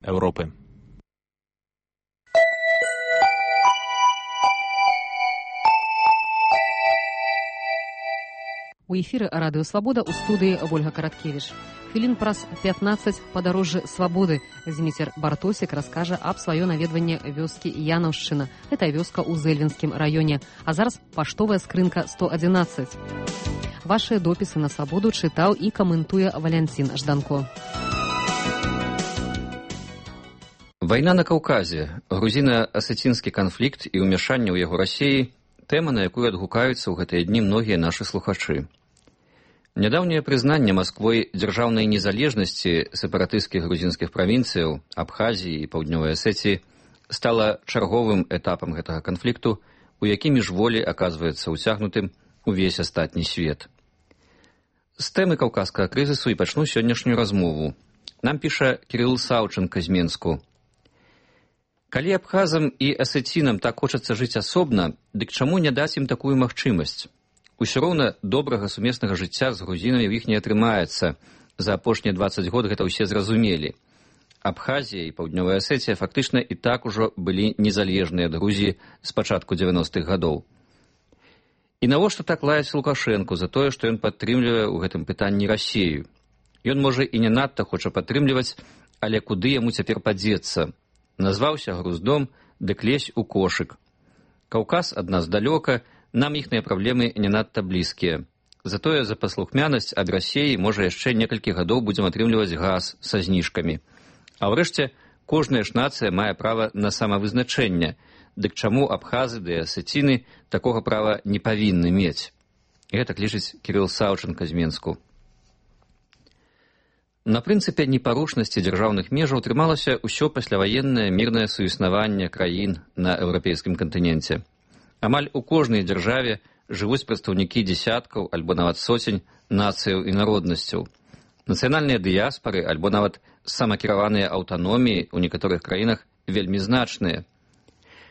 Европы. У эфіры радыё «Свабода» ў студыі Вольга Караткевіч. Хвілін праз 15 падарожжа свабоды. Зміцер Бартосік раскажа аб сваё наведванне вёскі Янаўшчына. Гэта вёска ў Зэльвенскім раёне. А зараз паштовая скрынка 111. Вашыя допісы на свабоду чытаў і каментуе Валянцін Жданко. Вайна на Каўказе, грузіна-асецінскі канфлікт і ўмяшанне ў яго Расіі – тэма, на якую адгукаюцца ў гэтыя дні многія нашы слухачы. Нядаўняе прызнанне Масквой дзяржаўнай незалежнасці сепаратысцкіх грузінскіх правінцыяў, Абхазіі і Паўднёвай Асетіі стала чарговым этапам гэтага канфлікту, у які міжволі аказваецца ўцягнутым увесь астатні свет. З тэмы каўказскага крызісу і пачну сённяшнюю размову. Нам піша Кірыл Саўчынка з Менску. Калі абхазам і асецінам так хочацца жыць асобна, дык чаму не даць ім такую магчымасць? Усё роўна добрага сумеснага жыцця з грузінамі ў іх не атрымаецца. За апошнія 20 год гэта ўсе зразумелі. Абхазія і Паўднёвая Асетія фактычна і так ужо былі незалежныя ад Грузіі з пачатку 90-х гадоў. І навошта так лаяць Лукашэнку за тое, што ён падтрымлівае ў гэтым пытанні Расію? Ён, можа, і не надта хоча падтрымліваць, але куды яму цяпер падзецца? Назваўся груздом, дык лезь у кошык. Каўказ ад нас далёка, нам іхныя праблемы не надта блізкія. Затое за паслухмянасць ад Расіі, можа, яшчэ некалькі гадоў будзем атрымліваць газ са зніжкамі. А ўрэшце, кожная ж нацыя мае права на самавызначэнне. Дык чаму абхазы ды асеціны такога права не павінны мець? Гэтак лічыць Кірыл Саўчынка з Менску. На прынцыпе непарушнасці дзяржаўных межаў трымалася ўсё пасляваеннае мірнае суіснаванне краін на еўрапейскім кантыненце. Амаль у кожнай дзяржаве жывуць прадстаўнікі дзесяткаў альбо нават соцень нацыяў і народнасцяў. Нацыянальныя дыяспары альбо нават самакіраваныя аўтаноміі ў некаторых краінах вельмі значныя.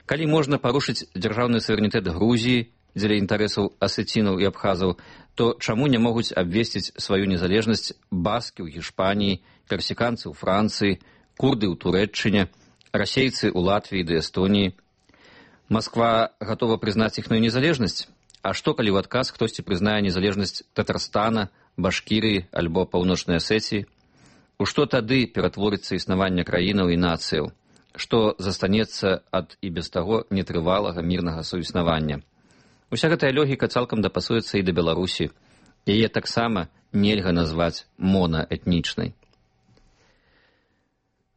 Калі можна парушыць дзяржаўны суверэнітэт Грузіі дзеля інтарэсаў асецінаў і абхазаў, то чаму не могуць абвесціць сваю незалежнасць баскі ў Гішпаніі, персіканцы ў Францыі, курды ў Турэччыне, расейцы ў Латвіі ды Эстоніі? Масква гатова прызнаць іхную незалежнасць? А што, калі ў адказ хтосьці прызнае незалежнасць Татарстана, Башкірыі альбо Паўночнай Асетіі? У што тады ператворыцца існаванне краінаў і нацыяў? Што застанецца ад і без таго нетрывалага мірнага суіснавання? Уся гэтая логіка цалкам дапасуецца і да Беларусі. Яе таксама нельга назваць монаэтнічнай.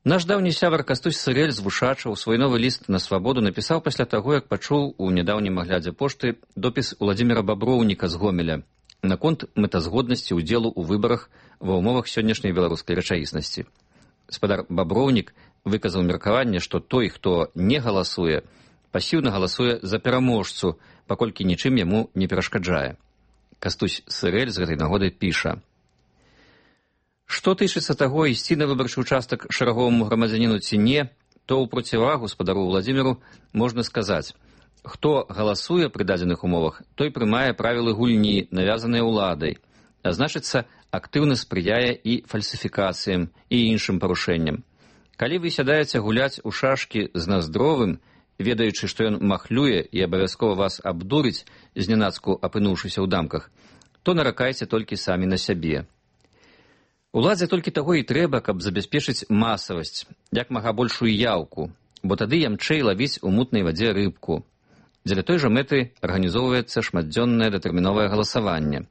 Наш даўні сябар Кастусь Сырэль з Вушачаў свой новы ліст на свабоду напісаў пасля таго, як пачуў у нядаўнім аглядзе пошты допіс Уладзіміра Баброўніка з Гомеля наконт мэтазгоднасці ўдзелу ў выбарах ва ўмовах сённяшняй беларускай рэчаіснасці. Спадар Баброўнік выказаў меркаванне, што той, хто не галасуе, пасіўна галасуе за пераможцу, паколькі нічым яму не перашкаджае. Кастусь Сырэль з гэтай нагоды піша: «Што тычыцца таго, ісці на выбарчы ўчастак шараговаму грамадзяніну ці не, то ў процівагу спадару Владзіміру можна сказаць: хто галасуе пры дадзеных умовах, той прымае правілы гульні, навязаныя ўладай, а значыцца, актыўна спрыяе і фальсіфікацыям і іншым парушэнням. Калі вы сядаеце гуляць у шашкі з Наздровым, ведаючы, што ён махлюе і абавязкова вас абдурыць, знянацку апынуўшыся ў дамках, то наракайце толькі самі на сябе. Уладзе толькі таго і трэба, каб забяспечыць масавасць, як мага большую яўку, бо тады ямчэй лавіць у мутнай вадзе рыбку. Дзеля той жа мэты арганізоўваецца шматдзённае датэрміновае галасаванне.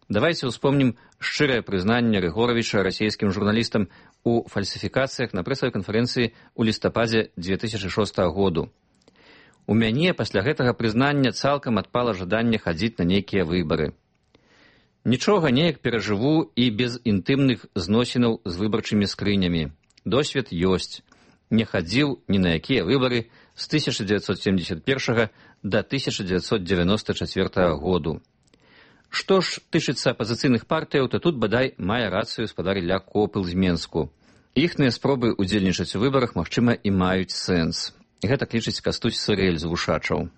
Давайце ўспомнім шчырае прызнанне Рыгоравіча расійскім журналістам у фальсіфікацыях на прэсавай канферэнцыі ў лістападзе 2006 году. У мяне пасля гэтага прызнання цалкам адпала жаданне хадзіць на нейкія выбары. Нічога неяк перажыву і без інтымных зносінаў з выбарчымі скрынямі. Досвед ёсць. Не хадзіў ні на якія выбары з 1971 да 1994 году. Што ж тычыцца апазіцыйных партыяў, то тут бадай мае рацыю спадар Ілля Копыл з Менску. Іхныя спробы удзельнічаць у выбарах, магчыма, і маюць сэнс. Гэтак лічыць Кастусь Сырэль з Вушачаў.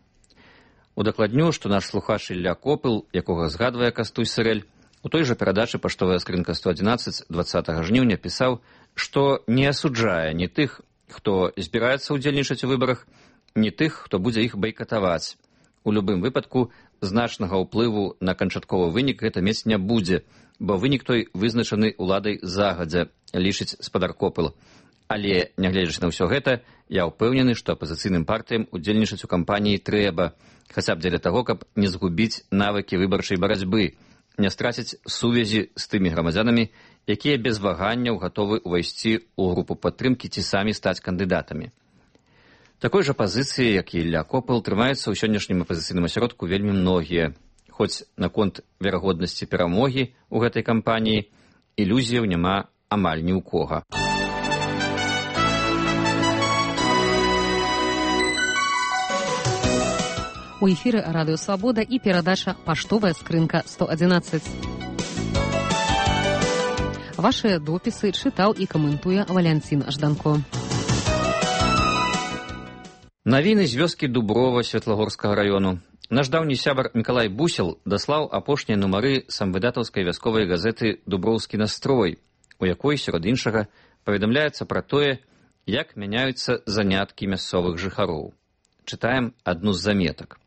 Удакладню, што наш слухач Ілля Копыл, якога згадвае Кастусь Сырэль, у той жа перадачы «Паштовая скрынка 111» 20 жніўня пісаў, што не асуджае ні тых, хто збіраецца ўдзельнічаць у выбарах, ні тых, хто будзе іх байкатаваць. У любым выпадку значнага ўплыву на канчатковы вынік гэта мець не будзе, бо вынік той вызначаны ўладай загадзя, лічыць спадар Копыл. Але, нягледзячы на ўсё гэта, я ўпэўнены, што апазіцыйным партыям удзельнічаць у кампаніі трэба, хаця б дзеля таго, каб не згубіць навыкі выбарчай барацьбы, не страціць сувязі з тымі грамадзянамі, якія без ваганняў гатовы ўвайсці ў групу падтрымкі ці самі стаць кандыдатамі. Такой жа пазіцыі, як і Ілля Копыл, трымаюцца ў сённяшнім апазіцыйным асяродку вельмі многія. Хоць наконт верагоднасці перамогі ў гэтай кампаніі ілюзіяў няма амаль ні ў кога. У эфіры Радыё Свабода і перадача «Паштовая скрынка 111». Вашыя допісы чытаў і каментуе Валянцін Жданко. Навіны з вёскі Дуброва Светлагорскага раёну. Наш даўні сябар Мікалай Бусел даслаў апошнія нумары самвыдатаўскай вясковай газеты «Дуброўскі настрой», у якой, сярод іншага, паведамляецца пра тое, як мяняюцца заняткі мясцовых жыхароў. Чытаем адну з заметак.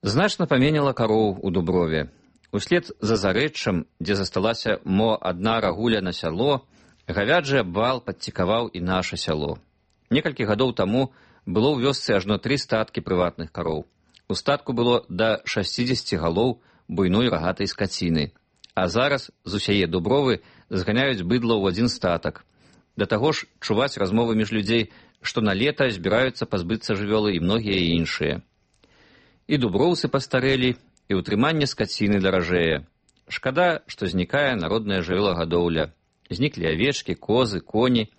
Значна паменяла кароў у Дуброве. Услед за зарэччам, дзе засталася мо адна рагуля на сяло, гавяджы абвал падцікаваў і наша сяло. Некалькі гадоў таму было ў вёсцы ажно 3 статкі прыватных кароў. У статку было да 60 галоў буйной рагатай скаціны. А зараз з усяе Дубровы зганяюць быдла ў адзін статак. Да таго ж чуваць размовы між людзей, што на лета збіраюцца пазбыцца жывёлы і многія іншыя. І дуброўцы пастарэлі, і ўтрыманне скаціны даражэе. Шкада, што знікае народная жывёлагадоўля. Зніклі авечкі, козы, коні,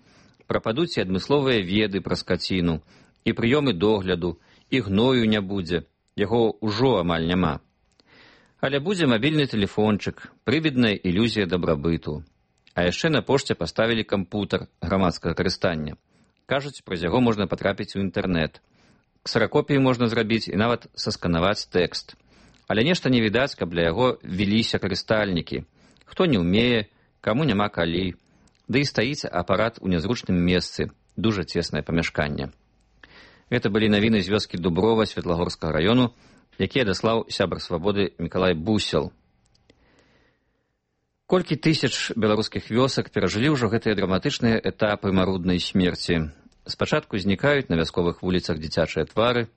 прападуць і адмысловыя веды пра скаціну, і прыёмы догляду, і гною не будзе, яго ўжо амаль няма. Але будзе мабільны тэлефончык, прывідная ілюзія дабрабыту. А яшчэ на пошце паставілі кампутар грамадскага карыстання. Кажуць, праз яго можна патрапіць у інтэрнэт. Ксеракопіі можна зрабіць і нават сасканаваць тэкст. Але нешта не відаць, каб для яго веліся карыстальнікі. Хто не ўмее, каму няма калі. Ды і стаіць апарат у нязручным месцы, дужа цеснае памяшканне. Гэта былі навіны з вёскі Дуброва Светлагорскага раёну, якія даслаў сябар свабоды Мікалай Бусел. Колькі тысяч беларускіх вёсак перажылі ўжо гэтыя драматычныя этапы маруднай смерці. Спачатку знікаюць на вясковых вуліцах дзіцячыя твары,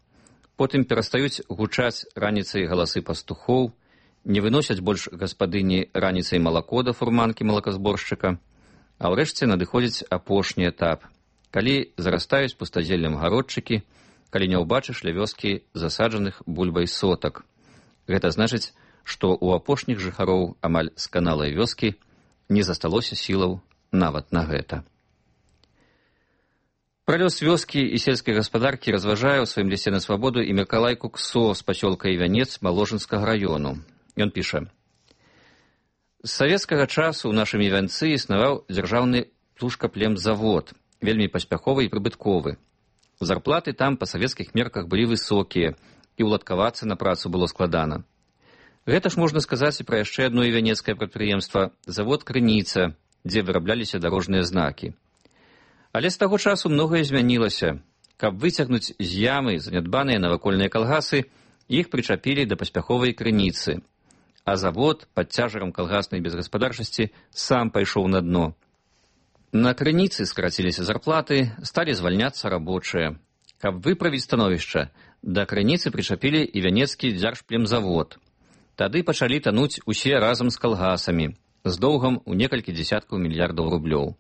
потым перастаюць гучаць раніцай галасы пастухоў, не выносяць больш гаспадыні раніцай малако да фурманкі малаказборшчыка, а ўрэшце надыходзіць апошні этап, калі зарастаюць пустазеллем гародчыкі, калі не ўбачыш ля вёскі засаджаных бульбай сотак. Гэта значыць, што ў апошніх жыхароў амаль сканалай вёскі не засталося сілаў нават на гэта. Пра лёс вёскі і сельскай гаспадаркі разважае ў сваім лісце на свабоду і Мікалай Куксо з пасёлка Івянец Маложынскага раёну. Ён піша: з савецкага часу ў нашым Івянцы існаваў дзяржаўны птушкаплемзавод, вельмі паспяховы і прыбытковы. Зарплаты там па савецкіх мерках былі высокія, і ўладкавацца на працу было складана. Гэта ж можна сказаць і пра яшчэ адно івянецкае прадпрыемства – завод «Крыніца», дзе вырабляліся дарожныя знакі. Але з таго часу многае змянілася. Каб выцягнуць з ямы занядбаныя навакольныя калгасы, іх прычапілі да паспяховай «Крыніцы». А завод пад цяжарам калгаснай безгаспадарчасці сам пайшоў на дно. На «Крыніцы» скараціліся зарплаты, сталі звальняцца рабочыя. Каб выправіць становішча, да «Крыніцы» прычапілі івянецкі дзяржплемзавод. Тады пачалі тануць усе разам з калгасамі, з доўгам у некалькі дзесяткаў мільярдаў рублёў.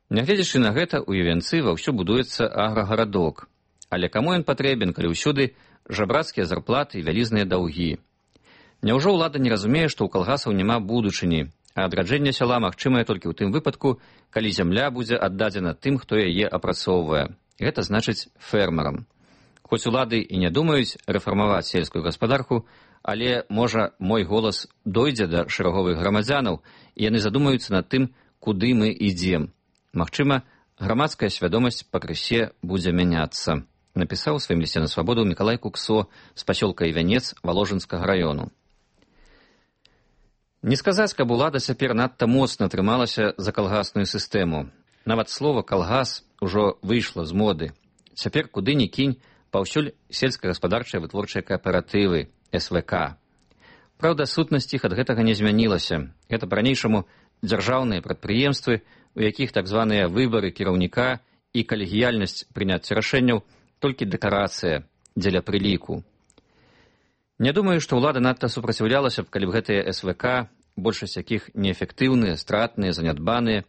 Нягледзячы на гэта, у Івянцы ваўсю будуецца аграгарадок. Але каму ён патрэбен, калі ўсюды жабрацкія зарплаты і вялізныя даўгі? Няўжо ўлада не разумее, што ў калгасаў няма будучыні, а адраджэнне сяла магчымае толькі ў тым выпадку, калі зямля будзе аддадзена тым, хто яе апрацоўвае. Гэта значыць фермерам. Хоць улады і не думаюць рэфармаваць сельскую гаспадарку, але, можа, мой голас дойдзе да шэраговых грамадзянаў, і яны задумаюцца над тым, куды мы ідзем. Магчыма, грамадская свядомасць пакрысе будзе мяняцца, напісаў у сваім лісце на свабоду Мікалай Куксо з пасёлка Івянец Воложынскага раёну. Не сказаць, каб улада цяпер надта моцна трымалася за калгасную сістэму. Нават слова «калгас» ужо выйшла з моды. Цяпер куды ні кінь, паўсюль сельскагаспадарчыя вытворчыя кааператывы, СВК. Праўда, сутнасць іх ад гэтага не змянілася. Гэта па-ранейшаму дзяржаўныя прадпрыемствы, у якіх так званыя выбары кіраўніка і калегіяльнасць прыняцця рашэнняў толькі дэкарацыя дзеля прыліку. Не думаю, што ўлада надта супраціўлялася б, калі б гэтыя СВК, большасць якіх неэфектыўныя, стратныя, занядбаныя,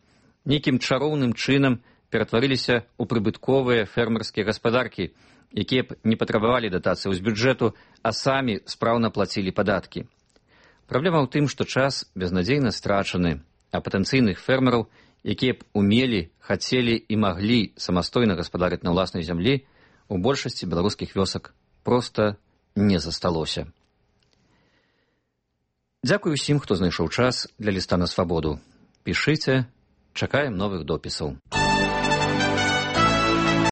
нейкім чароўным чынам ператварыліся ў прыбытковыя фермерскія гаспадаркі, якія б не патрабавалі датацыяў з бюджэту, а самі спраўна плацілі падаткі. Праблема ў тым, што час безнадзейна страчаны, а патэнцыйных фермераў, якія б умелі, хацелі і маглі самастойна гаспадарыць на ўласнай зямлі, у большасці беларускіх вёсак проста не засталося. Дзякуй усім, хто знайшоў час для ліста на свабоду. Пішыце, чакаем новых допісаў.